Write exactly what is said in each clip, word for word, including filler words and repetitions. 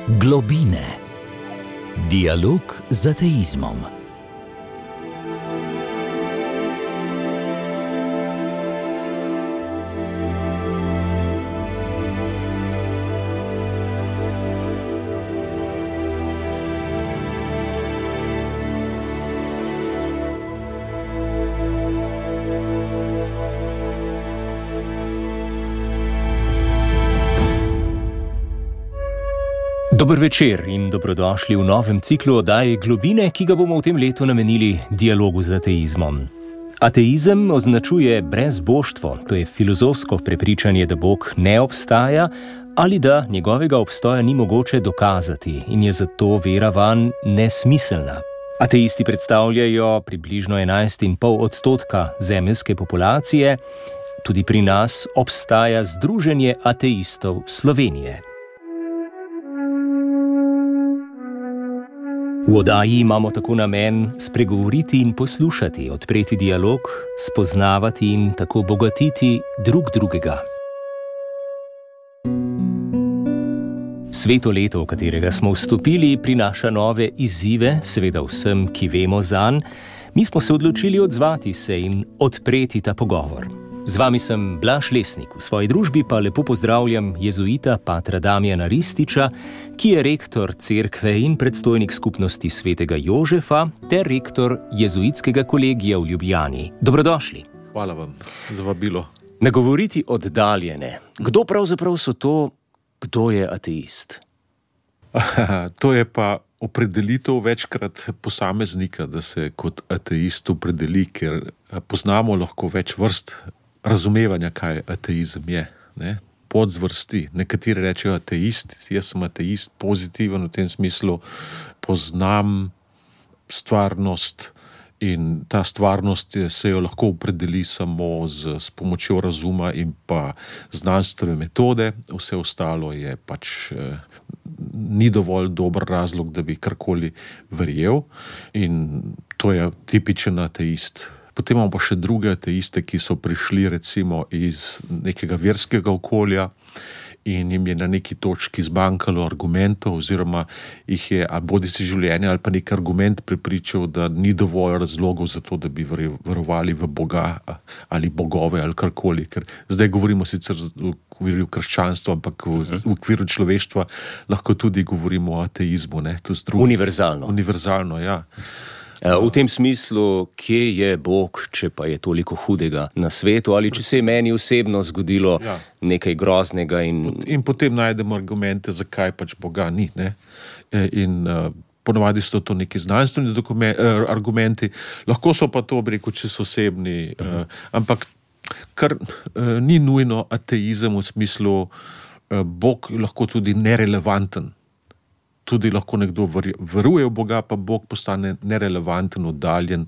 Globine. Dialog z ateizmom. Dober večer in dobrodošli v novem ciklu oddaje Globine, ki ga bomo v tem letu namenili dialogu z ateizmom. Ateizem označuje brezboštvo, to je filozofsko prepričanje, da Bog ne obstaja ali da njegovega obstoja ni mogoče dokazati in je zato vera vanj nesmiselna. Ateisti predstavljajo približno enajst in pol odstotka zemeljske populacije, tudi pri nas obstaja Združenje ateistov Slovenije. V oddaji imamo tako namen spregovoriti in poslušati, odpreti dialog, spoznavati in tako bogatiti drug drugega. Sveto leto, v katerega smo vstopili, prinaša nove izzive, seveda vsem, ki vemo zanj. Mi smo se odločili odzvati se in odpreti ta pogovor. Z vami sem Blaž Lesnik, v svoji družbi pa lepo pozdravljam jezuita patra Damjana Rističa, ki je rektor cerkve in predstojnik skupnosti svetega Jožefa ter rektor jezuitskega kolegija v Ljubljani. Dobrodošli. Hvala vam za vabilo. Nagovoriti oddaljene. Kdo pravzaprav so to, kdo je ateist? To je pa opredelitev večkrat posameznika, da se kot ateist opredeli, ker poznamo lahko več vrst razumevanja, kaj ateizem je, ne? Podzvrsti. Nekateri rečejo ateist, jaz sem ateist, pozitiven v tem smislu, poznam stvarnost in ta stvarnost se jo lahko opredeli samo z, s pomočjo razuma in pa znanstvene metode, vse ostalo je pač eh, ni dovolj dober razlog, da bi karkoli verjel in to je tipičen ateist. Potem imamo pa še druge ateiste, ki so prišli recimo iz nekega verskega okolja in jim je na neki točki zbankalo argumentov oziroma jih je ali bodi si življenje ali pa nek argument prepričal, da ni dovolj razlogov za to, da bi verovali v Boga ali bogove ali karkoli. Ker zdaj govorimo sicer v okviru krščanstva, ampak v, v okviru človeštva lahko tudi govorimo o ateizmu. Ne? To je univerzalno. Univerzalno, ja. V tem smislu, kje je Bog, če pa je toliko hudega na svetu, ali če se je meni osebno zgodilo ja. nekaj groznega. In... in potem najdemo argumente, zakaj pač Boga ni. Ne? In uh, ponovadi so to neki znanstveni dokumen- uh, argumenti, lahko so pa to, bi rekel, če so osebni, uh, ampak kar uh, ni nujno ateizem v smislu, uh, Bog je lahko tudi nerelevanten. Tudi lahko nekdo veruje v Boga, pa Bog postane nerelevanten, oddaljen,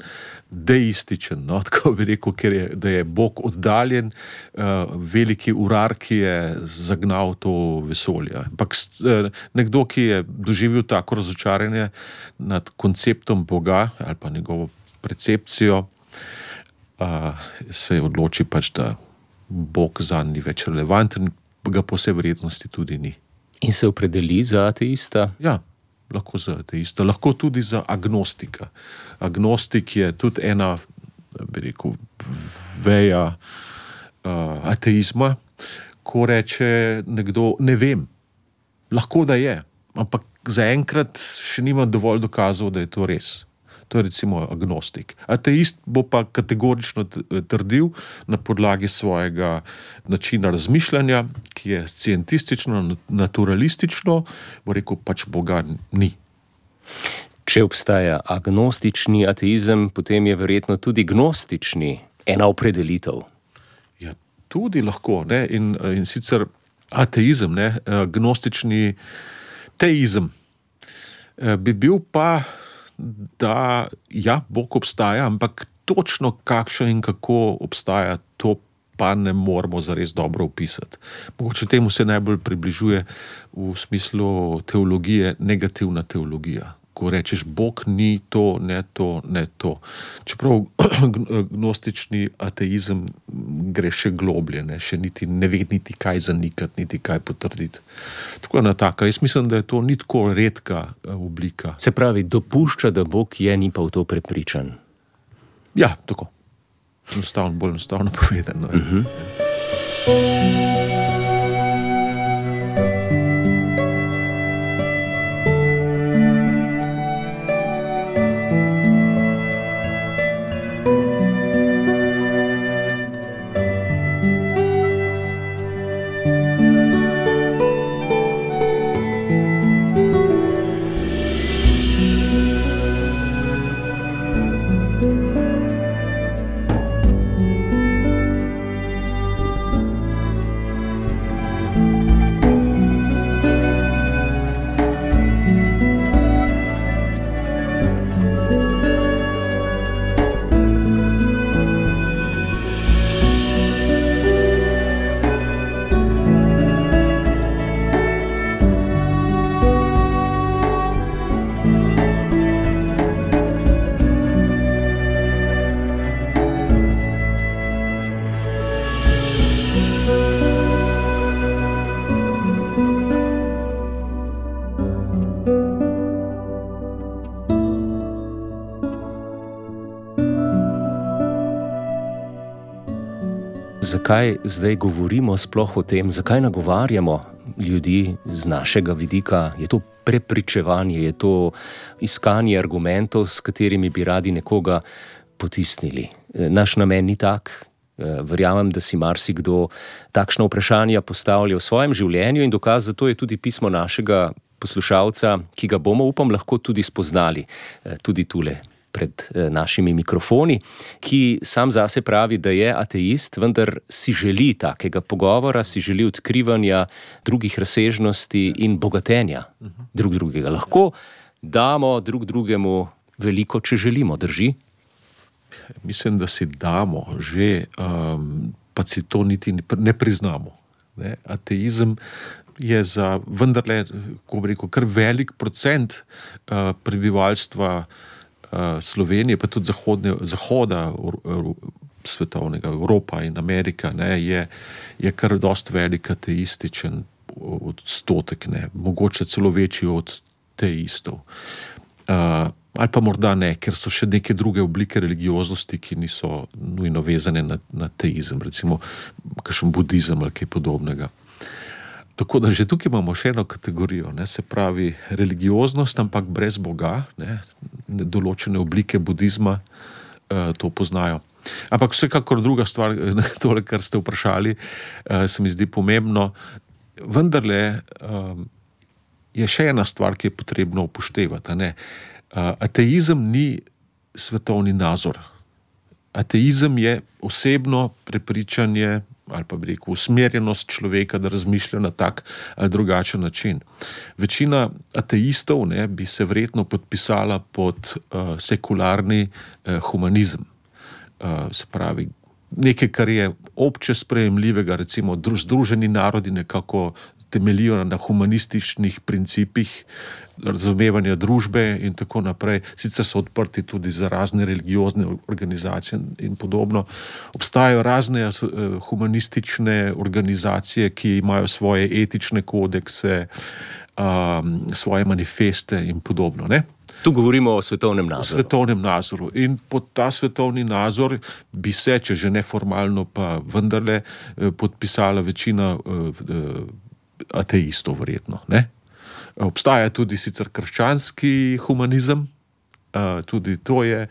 deističen. No? Tako bi rekel, ker je, da je Bog oddaljen, uh, veliki urar, ki je zagnal to vesolje. Ampak uh, nekdo, ki je doživel tako razočaranje nad konceptom Boga ali pa njegovo percepcijo, uh, se odloči pač, da Bog zanj ni več relevanten, ga po vsej verjetnosti tudi ni. In se opredeli za ateista? Ja, lahko za ateista, lahko tudi za agnostika. Agnostik je tudi ena, bi rekel, veja uh, ateizma, ko reče nekdo, ne vem, lahko da je, ampak zaenkrat še nima dovolj dokazov, da je to res. To je recimo agnostik. Ateist bo pa kategorično trdil na podlagi svojega načina razmišljanja, ki je scientistično, naturalistično, bo rekel, pač Boga ni. Če obstaja agnostični ateizem, potem je verjetno tudi gnostični ena opredelitev. Ja, tudi lahko, ne? In, in sicer ateizem, ne? Gnostični teizem bi bil pa da ja, Bog obstaja, ampak točno kakšen in kako obstaja, to pa ne moramo zares dobro opisati. Mogoče temu se najbolj približuje v smislu teologije negativna teologija. ko rečeš, Bog ni to, ne to, ne to. Čeprav gnostični ateizem gre še globlje, ne, še niti ne ve niti kaj zanikati, niti kaj potrditi. Tako ena taka, jaz mislim, da je to ni tako redka oblika. Se pravi, dopušča, da Bog je, ni pa v to prepričan. Ja, tako. Enostavno, bolj enostavno povedano. Uh-huh. Zakaj zdaj govorimo sploh o tem, zakaj nagovarjamo ljudi z našega vidika? Je to prepričevanje, je to iskanje argumentov, s katerimi bi radi nekoga potisnili? Naš namen ni tak. Verjamem, da si marsikdo takšna vprašanja postavlja v svojem življenju in dokaz za to je tudi pismo našega poslušalca, ki ga bomo, upam, lahko tudi spoznali, tudi tule pred našimi mikrofoni, ki sam zase pravi, da je ateist, vendar si želi takega pogovora, si želi odkrivanja drugih razsežnosti in bogatenja drug drugega. Lahko damo drug drugemu veliko, če želimo, drži? Mislim, da si damo že, um, pa si to niti ne priznamo. Ne? Ateizem je za vendarle, ko bi rekel, kar velik procent uh, prebivalstva Slovenije, pa tudi zahodne, zahoda svetovnega, Evropa in Amerika, ne, je, je kar dost velik ateističen odstotek, ne, mogoče celo večji od teistov. Uh, ali pa morda ne, ker so še neke druge oblike religioznosti, ki niso nujno vezane na, na teizem, recimo kakšen budizem ali kaj podobnega. Tako da že tukaj imamo še eno kategorijo, ne, se pravi religioznost, ampak brez Boga, ne, določene oblike budizma eh, to poznajo. Ampak vsekakor druga stvar, tole, kar ste vprašali, eh, se mi zdi pomembno. Vendarle eh, je še ena stvar, ki je potrebno upoštevati. Ne. Eh, ateizem ni svetovni nazor. Ateizem je osebno prepričanje ali pa bi rekel, usmerjenost človeka, da razmišlja na tak ali drugačen način. Večina ateistov, ne, bi se verjetno podpisala pod uh, sekularni uh, humanizem. Uh, se pravi, nekaj, kar je obče sprejemljivega, recimo Združeni narodi nekako temeljijo na humanističnih principih razumevanja družbe in tako naprej. Sicer so odprti tudi za razne religiozne organizacije in podobno. Obstajajo razne humanistične organizacije, ki imajo svoje etične kodekse, um, svoje manifeste in podobno, ne? Tu govorimo o svetovnem nazoru. O svetovnem nazoru. In pod ta svetovni nazor bi se, če že neformalno, pa vendarle podpisala večina ateistov, verjetno, ne? Obstaja tudi sicer krščanski humanizem, tudi to je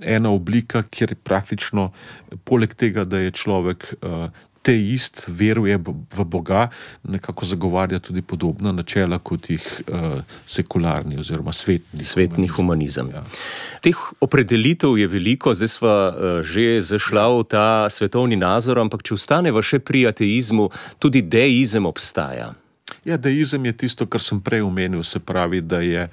ena oblika, kjer praktično poleg tega, da je človek teist, veruje v Boga, nekako zagovarja tudi podobna načela kot jih sekularni oziroma svetni, svetni humanizem. humanizem. Ja. Teh opredelitev je veliko, zdaj sva že zašla v ta svetovni nazor, ampak če ostaneva še pri ateizmu, tudi deizem obstaja. Ja, deizem je tisto, kar sem prej omenil, se pravi, da je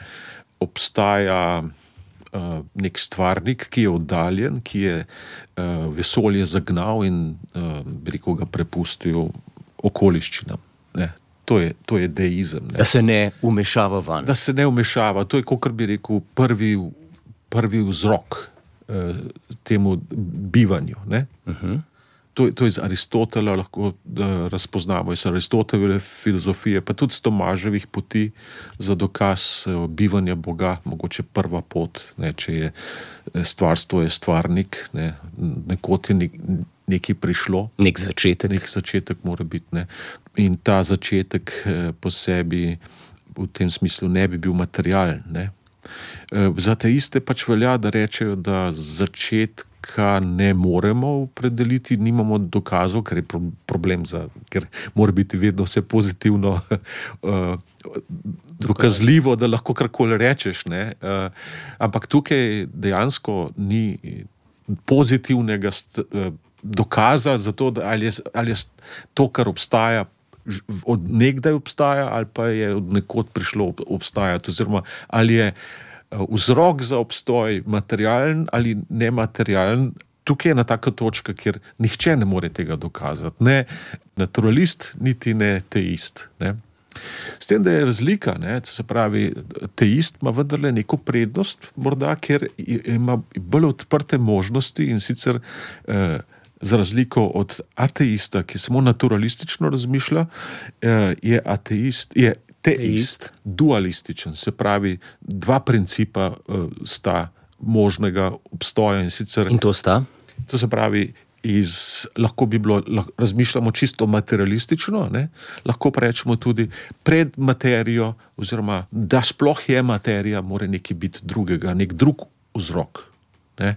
obstaja uh, nek stvarnik, ki je oddaljen, ki je uh, vesolje zagnal in uh, bi rekel, ga prepustil okoliščinam. Ne? To je, to je deizem. Ne. Da se ne umešava van. Da se ne umešava. To je, kot bi rekel, prvi, prvi vzrok eh, temu bivanju. Ne. Uh-huh. To, to je iz Aristotela lahko da razpoznamo, iz Aristotelove filozofije, pa tudi z Tomaževih poti za dokaz bivanja Boga, mogoče prva pot, ne, če je stvarstvo je stvarnik, ne, nekot je nek, nekaj prišlo. Nek začetek. Nek začetek mora biti. Ne. In ta začetek po sebi v tem smislu ne bi bil materialen. Ne. Za te iste pač velja, da rečejo, da začetka ne moremo opredeliti, nimamo dokazov, ker je problem, za, ker mora biti vedno vse pozitivno uh, dokazljivo, da lahko karkoli rečeš. Ne? Uh, ampak tukaj dejansko ni pozitivnega st, uh, dokaza za to, da ali je, ali je to, kar obstaja, od nekdaj obstaja, ali pa je od nekod prišlo obstajati, oziroma ali je vzrok za obstoj materialen ali nematerialen. Tukaj je ena taka točka, kjer nihče ne more tega dokazati. Ne naturalist, niti ne teist. Ne. S tem, da je razlika, ne, se pravi, teist ima vendarle neko prednost, morda, ker ima bolj odprte možnosti in sicer eh, za razliko od ateista, ki samo naturalistično razmišlja, eh, je ateist, je teist, dualističen, se pravi, dva principa uh, sta možnega obstoja in sicer... In to sta? To se pravi, iz, lahko bi bilo, lahko, razmišljamo čisto materialistično, ne? Lahko pa rečemo tudi pred materijo, oziroma da sploh je materija, mora nekaj biti drugega, nek drug vzrok. Ne?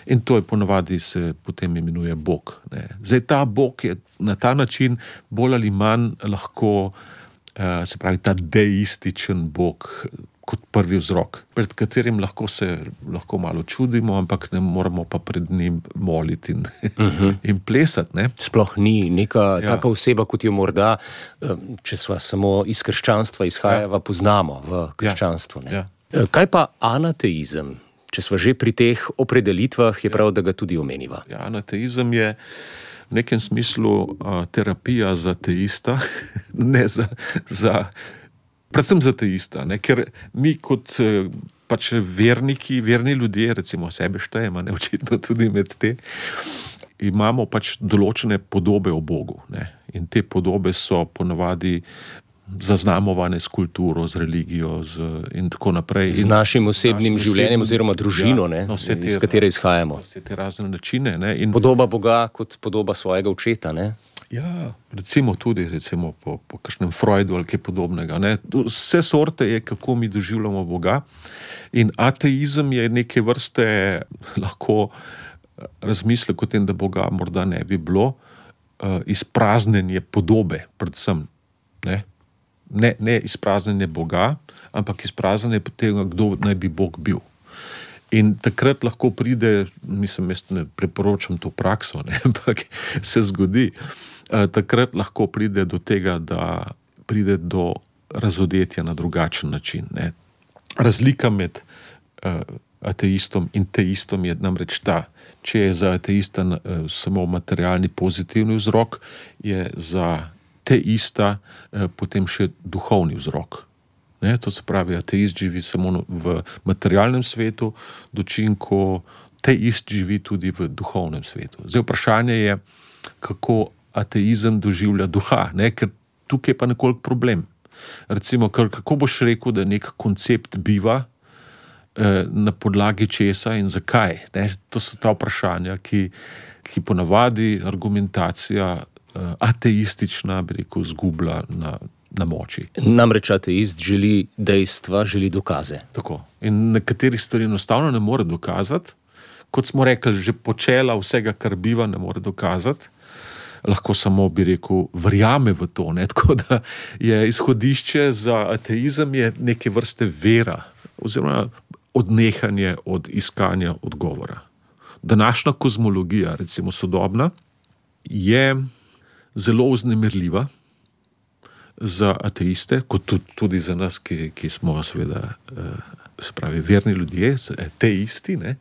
In to je ponavadi se potem imenuje Bog. Ne? Zdaj, ta Bog je na ta način bolj ali manj lahko Uh, se pravi, ta deističen Bog kot prvi vzrok, pred katerim lahko se lahko malo čudimo, ampak ne moramo pa pred njim moliti in, uh-huh. in plesati. Ne? Sploh ni neka ja. taka oseba, kot jo morda, če sva samo iz krščanstva izhajava, ja. poznamo v krščanstvu. Ne? Ja. Kaj pa anateizem? Če sva že pri teh opredelitvah, je ja. prav, da ga tudi omeniva. Ja, anateizem je v nekem smislu uh, terapija za teista, ne za, za, predvsem za teista, ne? Ker mi kot uh, pač verniki, verni ljudje, recimo sebe štejemo, ne očitno tudi med te, imamo pač določene podobe o Bogu, ne? In te podobe so ponavadi zaznamovane s kulturo, z religijo z, in tako naprej. Z našim osebnim našim življenjem oziroma družino, ja, no, te, iz katere izhajamo. Vse te razne načine. Ne, in podoba Boga kot podoba svojega očeta. Ne? Ja, recimo tudi recimo po, po kakšnem Freudu ali kaj podobnega. Ne. Vse sorte je, kako mi doživljamo Boga. In ateizem je neke vrste lahko razmislek o tem, da Boga morda ne bi bilo, uh, izpraznjenje podobe, predvsem. Ne. Ne, ne izpraznjenje Boga, ampak izpraznjenje tega, kdo naj bi Bog bil. In takrat lahko pride, mislim, jaz ne priporočam to prakso, ne, ampak se zgodi, eh, takrat lahko pride do tega, da pride do razodetja na drugačen način. Ne. Razlika med eh, ateistom in teistom je namreč ta, če je za ateista eh, samo materialni pozitivni vzrok, je za teista eh, potem še duhovni vzrok. Ne, to se pravi, ateist živi samo v materialnem svetu, dočim, ko teist živi tudi v duhovnem svetu. Zdaj vprašanje je, kako ateizem doživlja duha, ne, ker tukaj je pa nekoliko problem. Recimo, kako boš rekel, da nek koncept biva eh, na podlagi česa in zakaj? Ne? To so ta vprašanja, ki, ki ponavadi argumentacija ateistična, bi rekel, zgublja na, na moči. Namreč ateist želi dejstva, želi dokaze. Tako. In nekaterih stvari enostavno ne more dokazati. Kot smo rekli, že počela vsega, kar biva, ne more dokazati. Lahko samo, bi rekel, verjame v to. Ne? Tako da je izhodišče za ateizem je neke vrste vera, oziroma odnehanje od iskanja odgovora. Današnja kozmologija, recimo sodobna, je zelo vznemirljiva za ateiste, kot tudi za nas, ki, ki smo seveda, se pravi, verni ljudje, teisti, ne?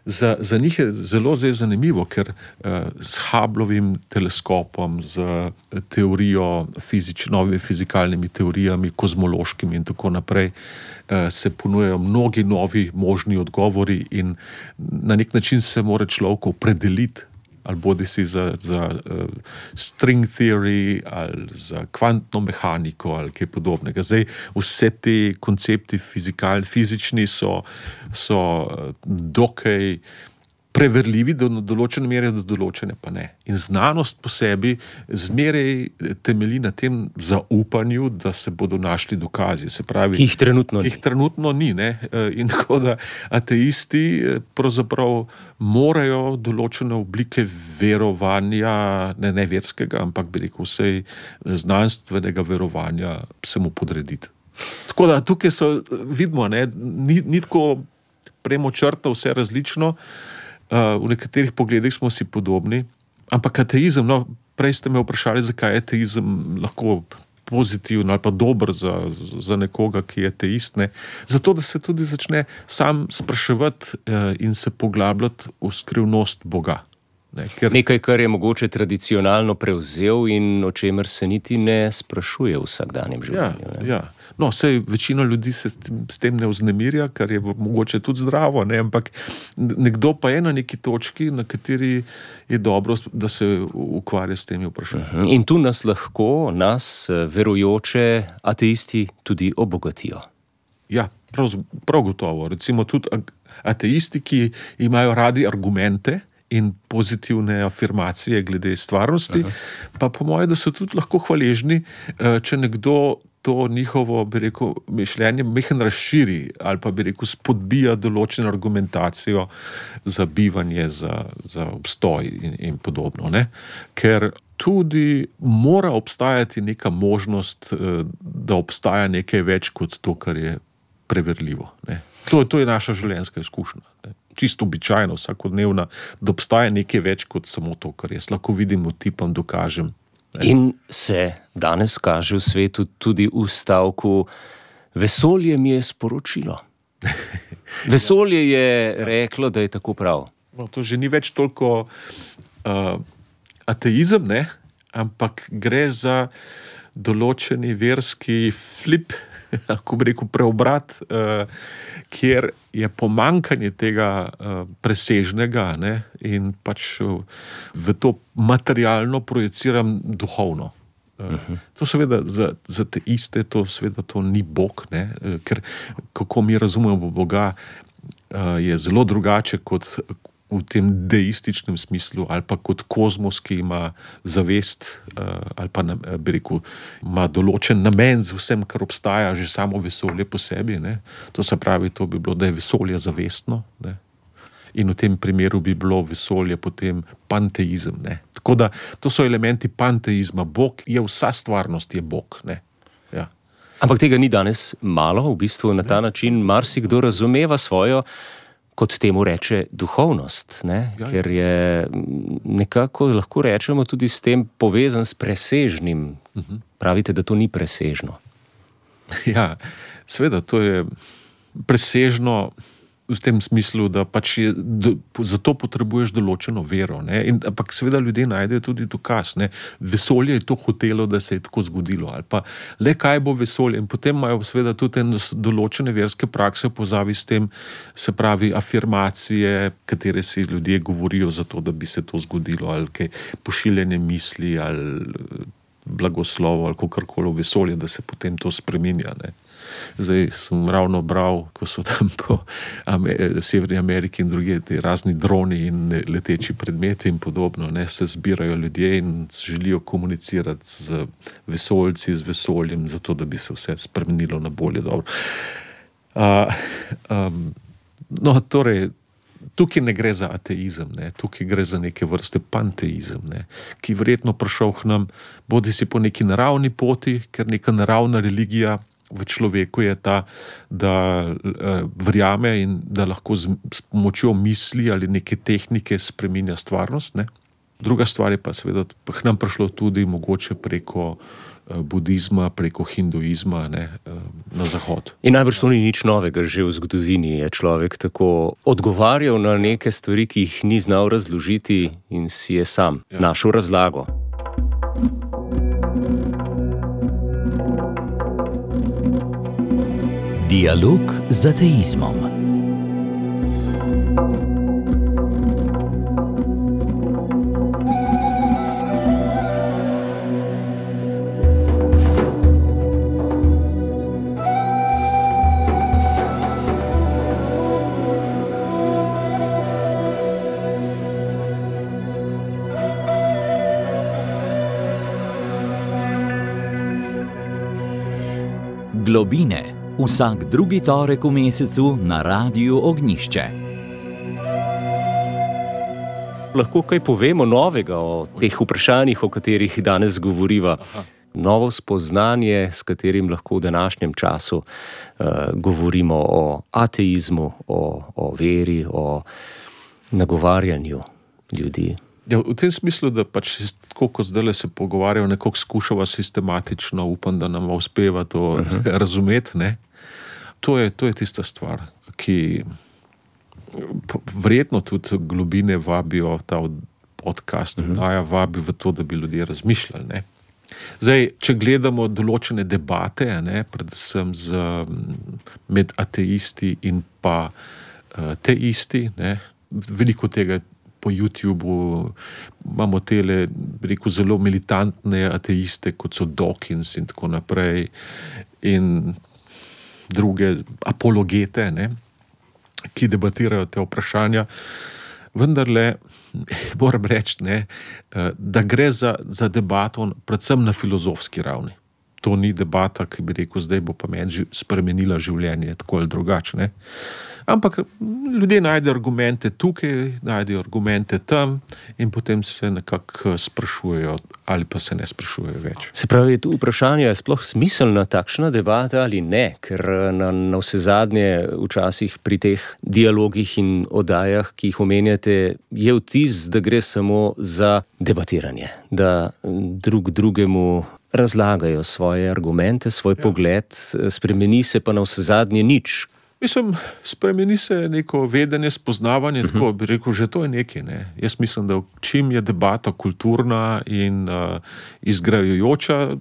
za, za njih je zelo zdaj zanimivo, ker uh, s Hubblovim teleskopom, z teorijo, fizič, novimi fizikalnimi teorijami, kozmološkimi in tako naprej, uh, se ponujajo mnogi novi možni odgovori in na nek način se mora človek opredeliti, ali bodi si za, za uh, string theory, ali za kvantno mehaniko, ali kaj podobnega. Zdaj, vse te koncepti fizikalni, fizični so, so dokaj preverljivi do določene mere, do določene pa ne. In znanost po sebi zmeraj temelji na tem zaupanju, da se bodo našli dokazi. Se pravi, ki jih trenutno ki jih trenutno ni. Ne? In tako da ateisti pravzaprav morajo določene oblike verovanja, ne, ne verskega, ampak bi rekel vsej znanstvenega verovanja se mu podrediti. Tako da tukaj so, vidimo, ne, ni, ni tako premočrtno vse različno. Uh, v nekaterih pogledih smo si podobni, ampak ateizem, no, prej ste me vprašali, zakaj je ateizem lahko pozitiven ali pa dober za, za nekoga, ki je ateist, ne? Zato, da se tudi začne sam spraševati uh, in se poglabljati v skrivnost Boga. Ne? Ker... Nekaj, kar je mogoče tradicionalno prevzel in o čemer se niti ne sprašuje v vsakdanjem življenju. Ja, ja. No, sej večina ljudi se s tem, s tem ne vznemirja, kar je mogoče tudi zdravo, ne? Ampak nekdo pa je na neki točki, na kateri je dobro, da se ukvarja s temi vprašanji. In tu nas lahko, nas, verujoče ateisti, tudi obogatijo. Ja, prav, prav gotovo. Recimo tudi ateisti, ki imajo radi argumente in pozitivne afirmacije glede stvarnosti, Aha. pa po moje, da so tudi lahko hvaležni, če nekdo to njihovo, bi rekel, mišljenje mehen razširi ali pa bi rekel spodbija določeno argumentacijo za bivanje, za, za obstoj in, in podobno. Ne? Ker tudi mora obstajati neka možnost, da obstaja nekaj več kot to, kar je preverljivo. Ne? To, to je naša življenjska izkušnja. Ne? Čisto običajno, vsakodnevna, da obstaja nekaj več kot samo to, kar jaz lahko vidim, utipam, dokažem. In se danes kaže v svetu tudi v stavku vesolje mi je sporočilo. Vesolje je reklo, da je tako prav. No, to že ni več toliko uh, ateizem, ne? Ampak gre za določeni verski flip, lahko bi rekel preobrat, uh, kjer je pomankanje tega uh, presežnega, ne, in pač uh, v to materialno projiciram duhovno. Uh, uh-huh. To seveda za, za te iste, to seveda to ni Bog, ne, uh, ker kako mi razumemo Boga, uh, je zelo drugače kot v tem deističnem smislu, ali pa kot kozmos, ki ima zavest, ali pa bi rekel, ima določen namen z vsem, kar obstaja, že samo vesolje po sebi. Ne? To se pravi, to bi bilo, da je vesolje zavestno. Ne? In v tem primeru bi bilo vesolje potem panteizem. Ne? Tako da, to so elementi panteizma. Bog je vsa stvarnost, je Bog. Ne? Ja. Ampak tega ni danes malo, v bistvu na ta ne. način marsikdo razumeva svojo, kot temu reče, duhovnost, ne? Ja, ker je nekako, lahko rečemo, tudi s tem povezan s presežnim. Uh-huh. Pravite, da to ni presežno. Ja, seveda, to je presežno v tem smislu, da pač je, do, zato potrebuješ določeno vero. Ne? In, ampak seveda ljudje najdejo tudi dokaz. Ne? Vesolje je to hotelo, da se je tako zgodilo. Ali pa le kaj bo vesolje. In potem imajo seveda tudi določene verske prakse pozavi s tem, se pravi afirmacije, katere si ljudje govorijo za to, da bi se to zgodilo. Ali kaj pošiljanje misli, ali blagoslovo, ali kakorkoli vesolje, da se potem to spreminja. Ne? Zdaj sem ravno bral, ko so tam po Amer- Severni Ameriki in druge te razni droni in leteči predmeti in podobno, ne, se zbirajo ljudje in želijo komunicirati z vesoljci, z vesoljem, zato da bi se vse spremenilo na bolje dobro. Uh, um, no, torej, tukaj ne gre za ateizem, ne, tukaj gre za neke vrste panteizem, ne, ki verjetno prišel k nam, bodi si po neki naravni poti, ker neka naravna religija v človeku je ta, da uh, verjame in da lahko z, s pomočjo misli ali neke tehnike spreminja stvarnost. Ne? Druga stvar je pa seveda k nam prišlo tudi mogoče preko budizma preko hinduizma, ne, na zahod. In najbrž to ni nič novega, že v zgodovini je človek tako odgovarjal na neke stvari, ki jih ni znal razložiti in si je sam ja. našel razlago. Dialog z ateizmom. Globine. Vsak drugi torek v mesecu na Radiu Ognjišče. Lahko kaj povemo novega o teh vprašanjih, o katerih danes govoriva? Aha. Novo spoznanje, s katerim lahko v današnjem času uh, govorimo o ateizmu, o, o veri, o nagovarjanju ljudi. Ja, v tem smislu, da pač tako, kot zdaj se pogovarjajo, nekako skušava sistematično, upam, da nam uspeva to uh-huh. razumeti, ne? To je, to je tista stvar, ki verjetno tudi globine vabijo, ta podcast uh-huh. daja vabi v to, da bi ljudje razmišljali, ne? Zdaj, če gledamo določene debate, ne, predvsem z, med ateisti in pa uh, teisti, ne, veliko tega po YouTubeu imamo tele, rekel, zelo militantne ateiste, kot so Dawkins in tako naprej, in druge apologete, ne, ki debatirajo te vprašanja. Vendarle, moram reči, ne, da gre za, za debato predvsem na filozofski ravni. To ni debata, ki bi rekel, zdaj bo pa meni spremenila življenje, tako ali drugače, ne. Ampak ljudje najdejo argumente tukaj, najdejo argumente tam in potem se nekako sprašujejo ali pa se ne sprašujejo več. Se pravi, tu vprašanje je sploh smiselna takšna debata ali ne, ker na, na vse zadnje včasih pri teh dialogih in oddajah, ki jih omenjate, je vtis, da gre samo za debatiranje, da drug drugemu razlagajo svoje argumente, svoj ja. pogled, spremeni se pa na vse zadnje nič. Mislim, spremeni se neko vedenje, spoznavanje, uh-huh. tako bi rekel, že to je nekaj, ne. Jaz mislim, da čim je debata kulturna in uh, izgrajujoča,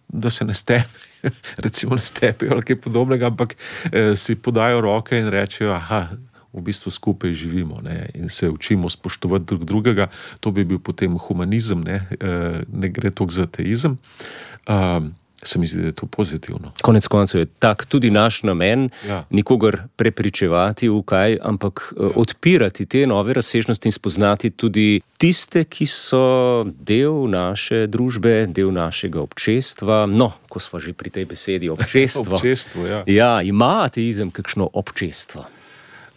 da se ne stepe, recimo ne stepejo ali kaj podobnega, ampak eh, si podajo roke in rečejo, aha, v bistvu skupaj živimo, ne, in se učimo spoštovati drug drugega, to bi bil potem humanizem, ne, e, ne gre toliko za ateizem. Um, se mi zdi, da je to pozitivno. Konec koncev je tak tudi naš namen, ja. nikogar prepričevati v kaj, ampak ja. odpirati te nove razsežnosti in spoznati tudi tiste, ki so del naše družbe, del našega občestva. No, ko smo že pri tej besedi občestvo. občestvo, ja. Ja, ima ateizem kakšno občestvo?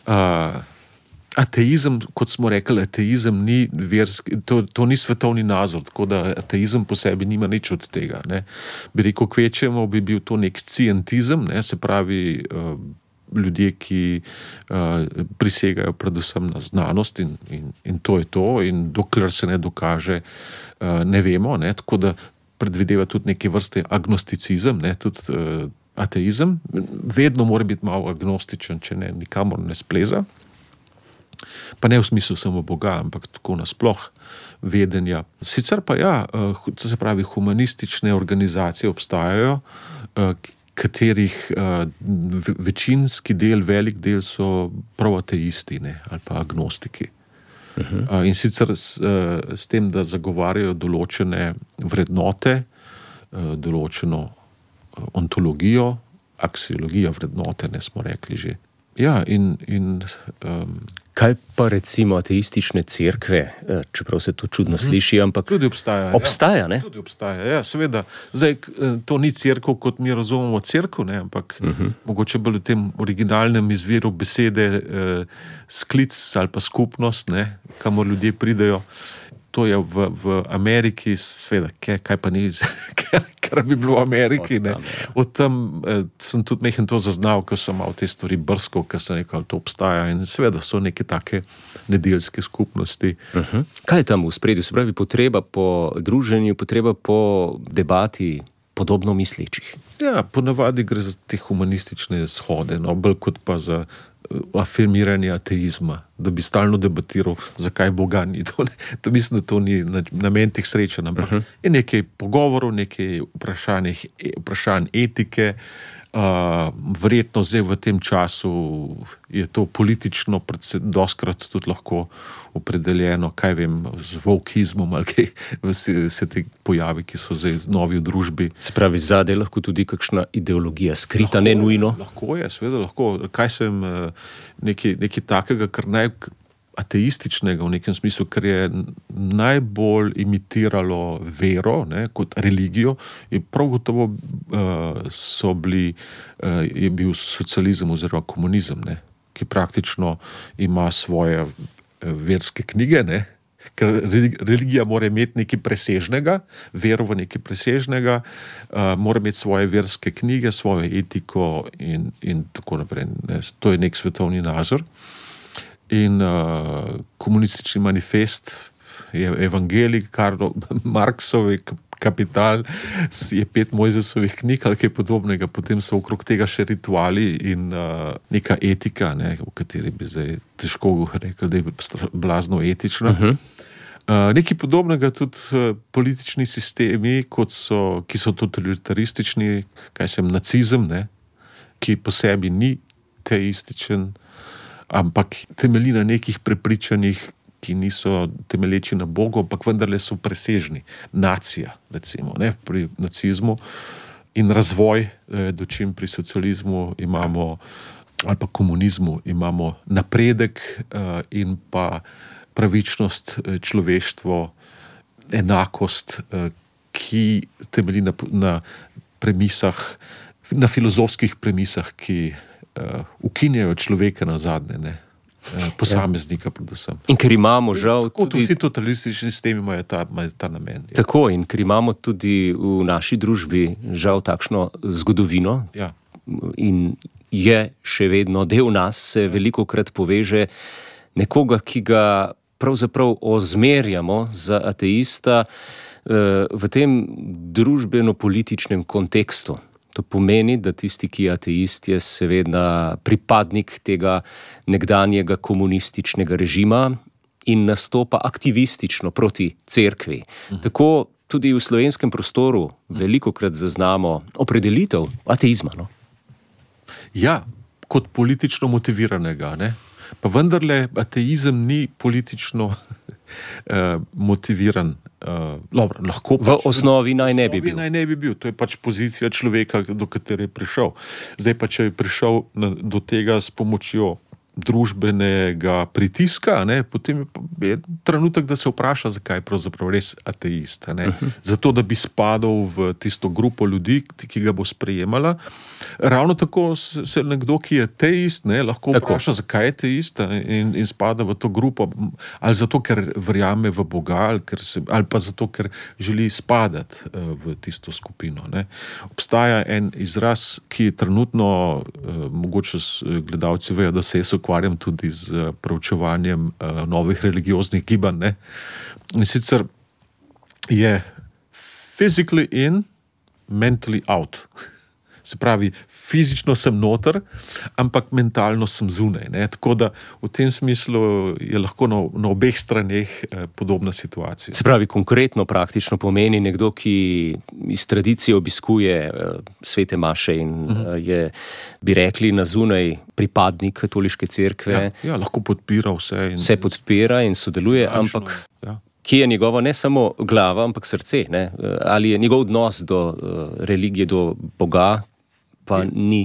Uh, ateizem, kot smo rekli, ateizem ni verski, to, to ni svetovni nazor, tako da ateizem po sebi nima nič od tega, ne. Bi rekel, kvečemo bi bil to nek scientizem, ne, se pravi uh, ljudje, ki uh, prisegajo predvsem na znanost in, in, in to je to, in dokler se ne dokaže, uh, ne vemo, ne, tako da predvideva tudi neke vrste agnosticizem, ne, tudi uh, ateizem, vedno mora biti malo agnostičen, če ne, nikamor ne spleza. Pa ne v smislu samo Boga, ampak tako nasploh vedenja. Sicer pa ja, to se pravi, humanistične organizacije obstajajo, katerih večinski del, velik del so prav ateisti, ne, ali pa agnostiki. Uh-huh. In sicer s, s tem, da zagovarjajo določene vrednote, določeno ontologijo, aksiologijo vrednote, ne smo rekli že. Ja, in... in um, kaj pa recimo ateistične cerkve, čeprav se to čudno uh-huh. sliši, ampak... Tudi obstaja. Obstaja, ja. ne? Tudi obstaja, ja, seveda. Zdaj, to ni cerkev, kot mi razumemo cerkev, ne, ampak uh-huh. mogoče bolj v tem originalnem izviru besede eh, sklic ali pa skupnost, ne, kamor ljudje pridejo. to je v, v Ameriki, sveda, kaj, kaj pa ni, kar, kar bi bilo v Ameriki. Ne. Od tam eh, sem tudi mehen to zaznal, ko sem mal te stvari brskal, ker sem rekel, to obstaja in sveda so neke take nedeljske skupnosti. Uh-huh. Kaj je tam v spredju? Se pravi, potreba po druženju, potreba po debati podobno mislečih? Ja, ponavadi gre za te humanistične shode, no, bolj kot pa za afirmiranje ateizma, da bi stalno debatiral, zakaj Boga ni. To, to mislim, da to ni namen teh srečanj, ampak uh-huh. je nekaj pogovorov, nekaj vprašanj, vprašanj etike. Uh, verjetno zdaj v tem času je to politično doskrat tudi lahko opredeljeno, kaj vem, z volkizmom ali kaj, vse, vse te pojavi, ki so zdaj novi v družbi. Se pravi, zadaj lahko tudi kakšna ideologija skrita, lahko ne nujno? Je, lahko je, seveda lahko. Kaj sem nekaj, nekaj takega, kar naj ateističnega v nekem smislu, ker je najbolj imitiralo vero, ne, kot religijo, je prav gotovo uh, so bili, uh, je bil socializem oziroma komunizem, ne, ki praktično ima svoje uh, verske knjige, ne, ker religija mora imeti nekaj presežnega, vero v nekaj presežnega, uh, mora imeti svoje verske knjige, svojo etiko in, in tako naprej. Ne. To je nek svetovni nazor. In uh, komunistični manifest je evangelij, Karlo Marxovi Kapital, je pet Mojzesovih knjig ali kaj podobnega, potem so okrog tega še rituali in uh, neka etika, ne, v kateri bi zdaj težko rekel, da je blazno etična. Uh-huh. Uh, nekaj podobnega tudi uh, politični sistemi, kot so, ki so totalitaristični, kaj sem, nacizem, ne, ki po sebi ni teističen, ampak temelji na nekih prepričanjih, ki niso temelječi na Bogu, ampak vendarle so presežni. Nacija, recimo, ne, pri nacizmu in razvoj, eh, dočim pri socializmu imamo, ali pa komunizmu, imamo napredek eh, in pa pravičnost, eh, človeštvo, enakost, eh, ki temelji na, na premisah, na filozofskih premisah, ki Uh, ukinjajo človeka na zadnje, ne, uh, posameznika predvsem. In ker imamo žal tako, tudi... Vsi totalistični sistemi imajo ta, imajo ta namen. Ja. Tako, in ker imamo tudi v naši družbi žal takšno zgodovino, ja. In je še vedno del nas, se veliko krat poveže nekoga, ki ga pravzaprav ozmerjamo za ateista uh, v tem družbeno-političnem kontekstu. To pomeni, da tisti, ki je ateist, je seveda pripadnik tega nekdanjega komunističnega režima in nastopa aktivistično proti cerkvi. Uh-huh. Tako tudi v slovenskem prostoru velikokrat zaznamo opredelitev ateizma. No? Ja, kot politično motiviranega, ne? Pa vendarle ateizem ni politično uh, motiviran. Uh, dobro, lahko v pač, osnovi naj ne bi bil. Naj ne bi bil. To je pač pozicija človeka, do katere je prišel. Zdaj pa, če je prišel na, do tega s pomočjo družbenega pritiska, ne, potem je trenutek, da se vpraša, zakaj je pravzaprav res ateist. Ne. Uh-huh. Zato, da bi spadal v tisto grupo ljudi, ki ga bo sprejemala. Ravno tako se nekdo, ki je ateist, ne, lahko tako vpraša, zakaj je ateist in, in spada v to grupo. Ali zato, ker verjame v Boga, ali, ker se, ali pa zato, ker želi spadati uh, v tisto skupino. Ne. Obstaja en izraz, ki je trenutno, uh, mogoče gledalci vejo, da se je ukvarjam tudi z preučevanjem uh, novih religioznih gibanj. Ne? In sicer je physically in, mentally out. Se pravi, fizično sem noter, ampak mentalno sem zunaj. Ne? Tako da v tem smislu je lahko na, na obeh straneh eh, podobna situacija. Se pravi, konkretno praktično pomeni nekdo, ki iz tradicije obiskuje eh, svete maše in uh-huh. eh, je, bi rekli, na zunaj pripadnik katoliške cerkve. Ja, ja, lahko podpira vse. In, vse podpira in sodeluje, finančno, ampak... Ja. Ki je njegova ne samo glava, ampak srce. Ne? Ali je njegov odnos do uh, religije, do Boga, pa je. Ni.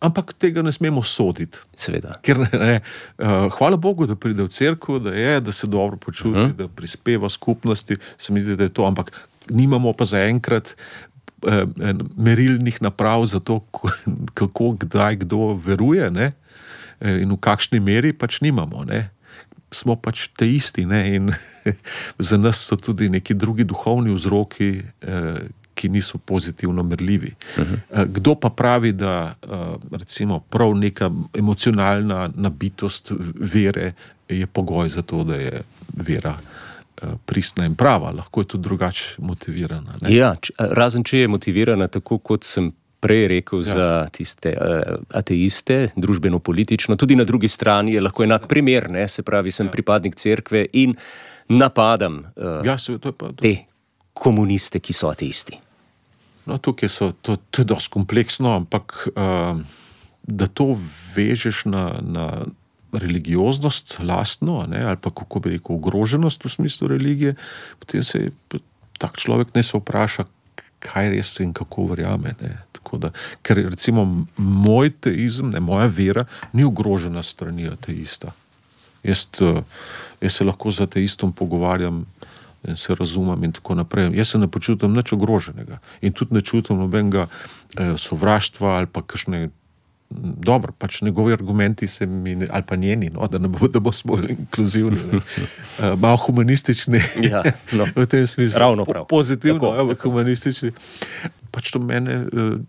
Ampak tega ne smemo soditi. Seveda. Ker ne, ne, uh, hvala Bogu, da pride v cerkev, da je, da se dobro počuti, uh-huh. da prispeva skupnosti, se mi zdi, da je to, ampak nimamo pa zaenkrat uh, merilnih naprav za to, kako, kdaj, kdo veruje, ne? In v kakšni meri pač nimamo, ne? smo pač teisti, ne, in za nas so tudi neki drugi duhovni vzroki, eh, ki niso pozitivno merljivi. Uh-huh. Kdo pa pravi, da recimo prav neka emocionalna nabitost vere je pogoj za to, da je vera pristna in prava, lahko je tudi drugače motivirana. Ne? Ja, č- razen če je motivirana tako, kot sem prej rekel, ja. Za tiste uh, ateiste, družbeno-politično, tudi na drugi strani je lahko enak primer, ne? Se pravi, sem ja. pripadnik cerkve in napadam uh, ja, se, to je pa, to... te komuniste, ki so ateisti. No, tukaj so, to, to je dosti kompleksno, ampak uh, da to vežeš na, na religioznost lastno, ne, ali pa kako bi rekel, ogroženost v smislu religije, potem se tak človek ne se vpraša, kaj res in kako verjame. Ne. Tako da, ker recimo moj teizem, ne, moja vera ni ogrožena strani ateista. Jaz, jaz se lahko z ateistom pogovarjam in se razumem in tako naprej. Jaz se ne počutim nič ogroženega in tudi ne čutim nobenega eh, sovraštva ali pa kakšne, dobro, pač njegovi argumenti se mi, ali pa njeni, no, da ne bo, da bo smo inkluzivni, uh, malo humanistični, ja, no. v tem smislu. Ravno prav. Pozitivno, ampak humanistični. Pač to mene,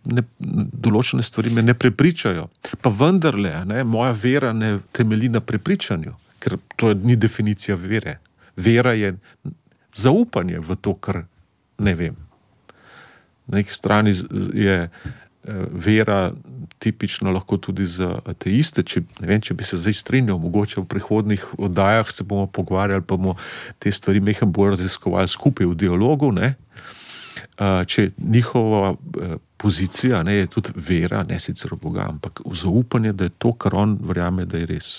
ne, določene stvari me ne prepričajo. Pa vendarle, ne, moja vera ne temelji na prepričanju, ker to ni definicija vere. Vera je zaupanje v to, kar ne vem. Na neki strani je vera tipično lahko tudi za ateiste, če, ne vem, če bi se zdaj strinjal, mogoče v prihodnih oddajah se bomo pogovarjali, pa bomo te stvari mehko bolj raziskovali skupaj v dialogu, ne? Če njihova pozicija, ne, je tudi vera, ne sicer v Boga, ampak v zaupanje, da je to, kar on verjame, da je res.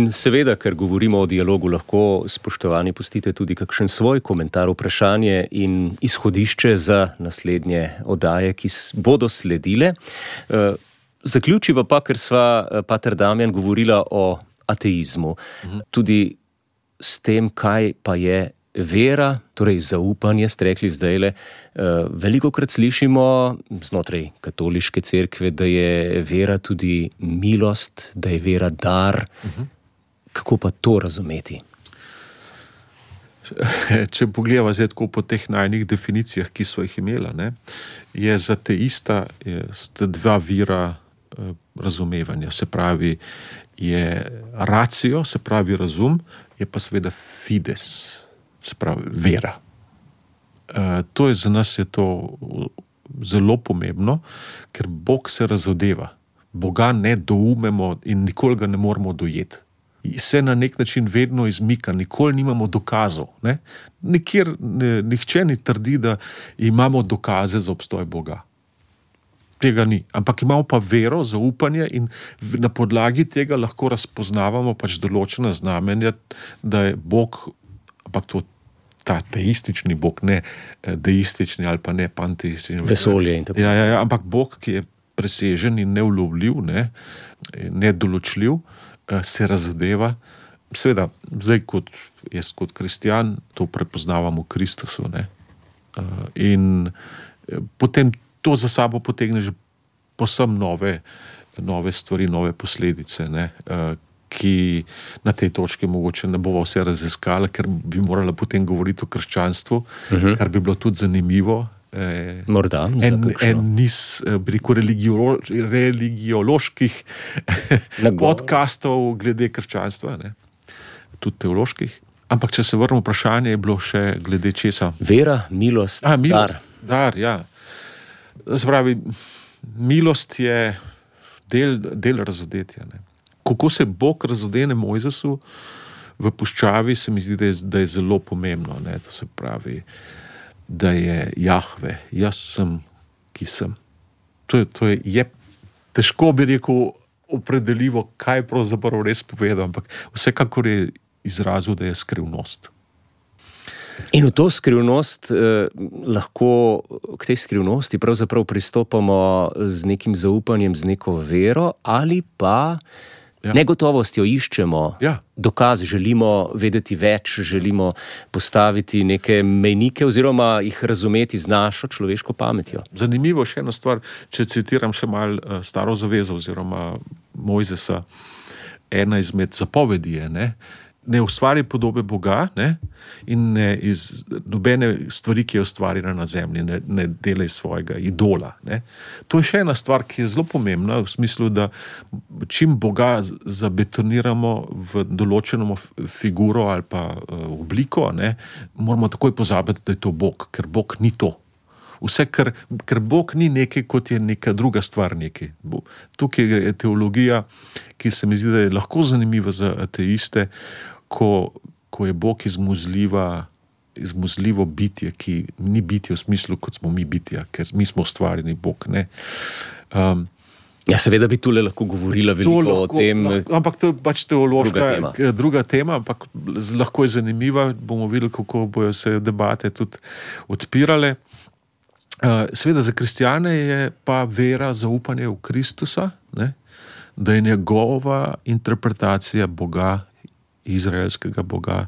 In seveda, ker govorimo o dialogu, lahko, spoštovani, pustite tudi kakšen svoj komentar, vprašanje in izhodišče za naslednje oddaje, ki bodo sledile. Zaključiva pa, ker sva pater Damjan govorila o ateizmu, tudi s tem, kaj pa je vera, torej zaupanje, ste rekli zdajle. Velikokrat slišimo znotraj katoliške cerkve, da je vera tudi milost, da je vera dar. Uh-huh. Kako pa to razumeti? Če pogledamo zdaj tako po teh najnih definicijah, ki so jih imela, ne, je za teista je sta dva vira eh, razumevanja. Se pravi, je racio, se pravi razum, je pa seveda fides, se pravi vera. Eh, to je za nas je to zelo pomembno, ker Bog se razodeva. Boga ne doumemo in nikoli ga ne moramo dojeti. Se na nek način vedno izmika, nikoli nimamo dokazov. Ne? Nikjer, ne, nihče ni trdi, da imamo dokaze za obstoj Boga. Tega ni. Ampak imamo pa vero, zaupanje in na podlagi tega lahko razpoznavamo pač določena znamenja, da je Bog, ampak to ta teistični Bog, ne deistični ali pa ne panteistični. Vesolje in tako. Ja, ja, ja, ampak Bog, ki je presežen in neulovljiv, ne, nedoločljiv, se razodeva. Seveda, zdaj kot jaz kot kristjan to prepoznavam v Kristusu. Ne? In potem to za sabo potegne že povsem nove, nove stvari, nove posledice, ne? Ki na tej točki mogoče ne bova vse raziskala, ker bi morala potem govoriti o krščanstvu, uh-huh. kar bi bilo tudi zanimivo. Eh, Morda, en, en niz rekel, religio, religioloških podcastov glede krščanstva, ne? Tudi teoloških. Ampak če se vrnemo vprašanje, je bilo še glede česa? Vera, milost, A, milost dar. Dar, ja. Spravi, milost je del, del razodetja. Ne? kako se Bog razodene Mojzesu v puščavi, se mi zdi, da je, da je zelo pomembno. Ne? To se pravi, da je Jahve, jaz sem, ki sem. To je, to je, je težko bi rekel opredeljivo, kaj pravzaprav res povedal, ampak vsekakor je izrazil, da je skrivnost. In v to skrivnost eh, lahko k tej skrivnosti pravzaprav pristopamo z nekim zaupanjem, z neko vero ali pa ja. negotovostjo iščemo ja. dokaz, želimo vedeti več, želimo postaviti neke mejnike oziroma jih razumeti z našo človeško pametjo. Zanimivo še ena stvar, če citiram še malo uh, Staro zavezo oziroma Mojzesa, ena izmed zapovedi je, ne, ne ustvari podobe Boga, ne, in ne iz nobene stvari, ki je ustvarjena na zemlji, ne, ne delaj svojega idola. Ne. To je še ena stvar, ki je zelo pomembna, v smislu, da čim Boga zabetoniramo v določeno figuro ali pa uh, obliko, ne, moramo takoj pozabiti, da je to Bog, ker Bog ni to. Vse, ker, ker Bog ni nekaj, kot je neka druga stvar nekaj. Tukaj je teologija, ki se mi zdi, da je lahko zanimiva za ateiste, ko, ko je Bog izmuzljiva, izmuzljivo bitje, ki ni bitje v smislu, kot smo mi bitja, ker mi smo ustvarjeni Bog. Ne? Um, ja, seveda bi tule lahko govorila veliko lahko, o tem. Lahko, ampak to je pač teološka druga tema. druga tema, ampak lahko je zanimiva. Bomo videli, kako bojo se debate tudi odpirale. Uh, seveda za kristjane je pa vera zaupanje v Kristusa, ne? Da je njegova interpretacija Boga, izraelskega Boga,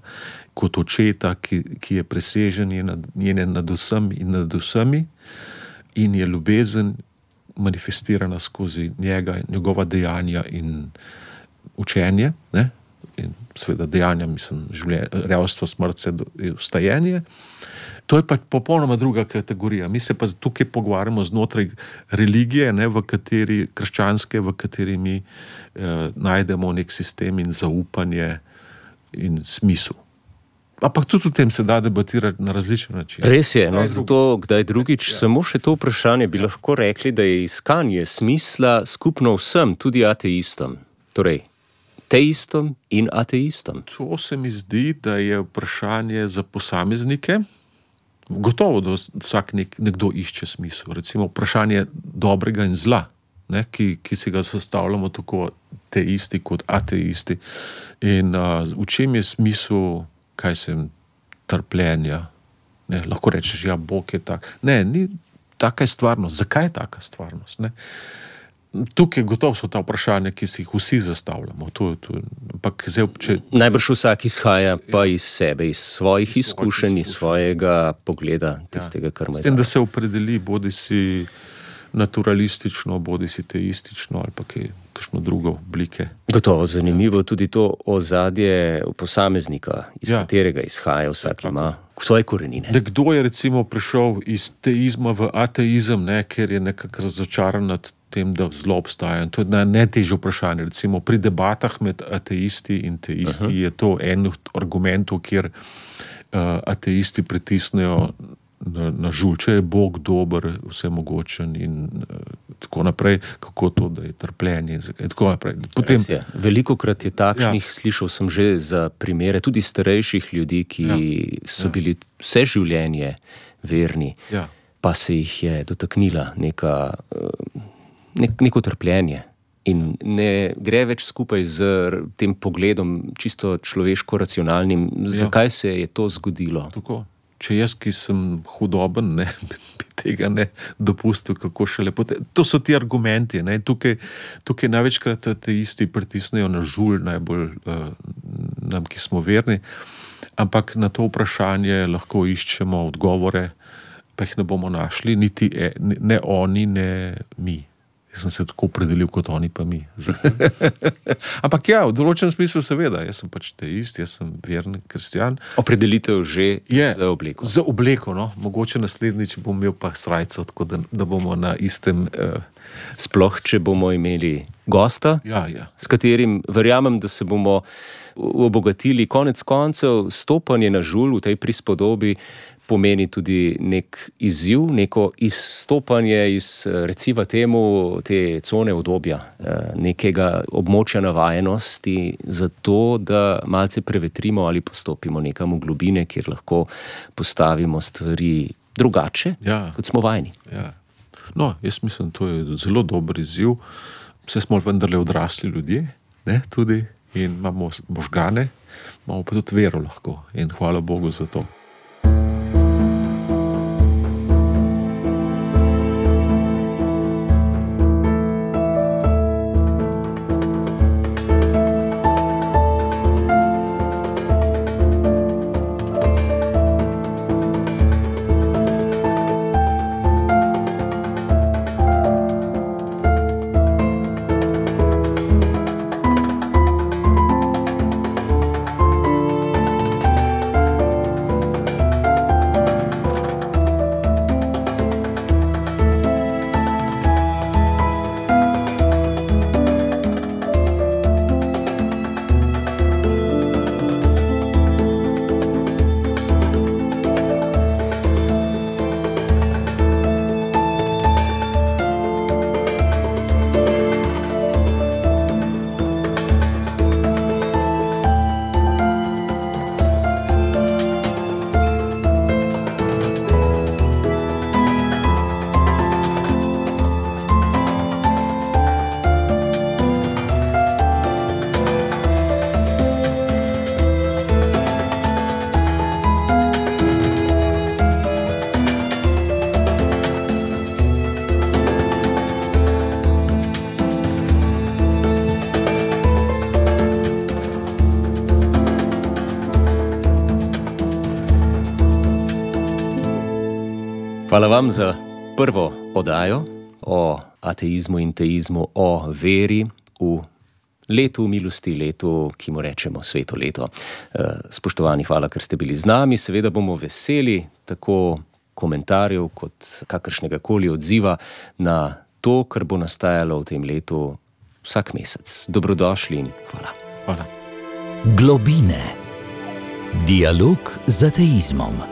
kot očeta, ki, ki je presežen je nad, njene nad vsem in nad vsemi in je ljubezen manifestirana skozi njega, njegova dejanja in učenje, ne? In seveda dejanja, mislim, življenje, revstvo, smrt, vstajenje. To je pa popolnoma druga kategorija. Mi se pa tukaj pogovarjamo znotraj religije, ne, v kateri, krščanske, v kateri mi eh, najdemo nek sistem in zaupanje in smisel. Ampak tudi v tem se da debatirati na različne načine. Res je, no, zato kdaj drugič, ja. Samo še to vprašanje bi lahko rekli, da je iskanje smisla skupno vsem, tudi ateistom. Torej, teistom in ateistom. To se mi zdi, da je vprašanje za posameznike. Gotovo, da vsak nek, nekdo išče smisel. Recimo vprašanje dobrega in zla, ne, ki, ki si ga sestavljamo tako teisti kot ateisti. In uh, v čem je smisel, kaj sem, trpljenja? Ne, lahko rečeš, ja, Bog je tak. Ne, ni taka je stvarnost. Zakaj je taka stvarnost? Ne? Tukaj gotovo so ta vprašanja, ki si jih vsi zastavljamo. To, to, ampak zdaj, če... Najbrž vsak izhaja pa iz sebe, iz svojih iz izkušenj, iz svojega pogleda, tistega, kar ima. S tem, da se opredeli, bodi si naturalistično, bodi si teistično ali pa kaj, kakšno drugo oblike. Gotovo zanimivo tudi to ozadje posameznika, iz ja. katerega izhaja, vsak ja, ima svoje korenine. Nekdo je recimo prišel iz teizma v ateizem, ne, ker je nekako razočaran nad tem, da zlo obstaja. To je najtežje vprašanje. Recimo pri debatah med ateisti in teisti uh-huh. je to en od argumentov, kjer uh, ateisti pritisnejo na, na žulj, če je Bog dober, vsemogočen in uh, tako naprej, kako to, da je trpljenje in tako naprej. Potem, je. Velikokrat je takšnih, ja. Slišal sem že za primere tudi starejših ljudi, ki ja. so bili ja. vse življenje verni, ja. pa se jih je dotaknila neka... Uh, Nek, neko trpljenje in ne gre več skupaj z tem pogledom čisto človeško-racionalnim, zakaj ja. se je to zgodilo. Tako. Če jaz, ki sem hudoben, ne, bi tega ne dopustil, kako še lepo. To so ti argumenti. Ne. Tukaj, tukaj največkrat ateisti pritisnejo na žulj, najbolj uh, nam, ki smo verni, ampak na to vprašanje lahko iščemo odgovore, pa jih ne bomo našli, niti e, ne oni, ne mi. Jaz sem se tako opredelil kot oni, pa mi. Ampak ja, v določenem smislu seveda, jaz sem pač teist, jaz sem verni kristjan. Opredelitev že je, za obleko. Za obleko, no. Mogoče naslednjič bom imel pa srajco, tako da, da bomo na istem... Uh... Sploh, če bomo imeli gosta, ja, ja. s katerim verjamem, da se bomo obogatili konec koncev, stopanje na žulj v tej prispodobi pomeni tudi nek izziv, neko izstopanje iz, recimo temu, te cone udobja, nekega območja navajenosti, zato da malce prevetrimo ali postopimo nekam v globine, kjer lahko postavimo stvari drugače, ja. Kot smo vajeni. Ja. No, jaz mislim, to je zelo dober izziv. Vse smo vendarle odrasli ljudje, ne, tudi, in imamo možgane, imamo pa tudi vero lahko in hvala Bogu za to. Hvala vam za prvo oddajo o ateizmu in teizmu, o veri v letu milosti, letu, ki mu rečemo sveto leto. Spoštovani, hvala, ker ste bili z nami. Seveda bomo veseli tako komentarjev kot kakršnega koli odziva na to, kar bo nastajalo v tem letu vsak mesec. Dobrodošli in hvala. Hvala. Globine. Dialog z ateizmom.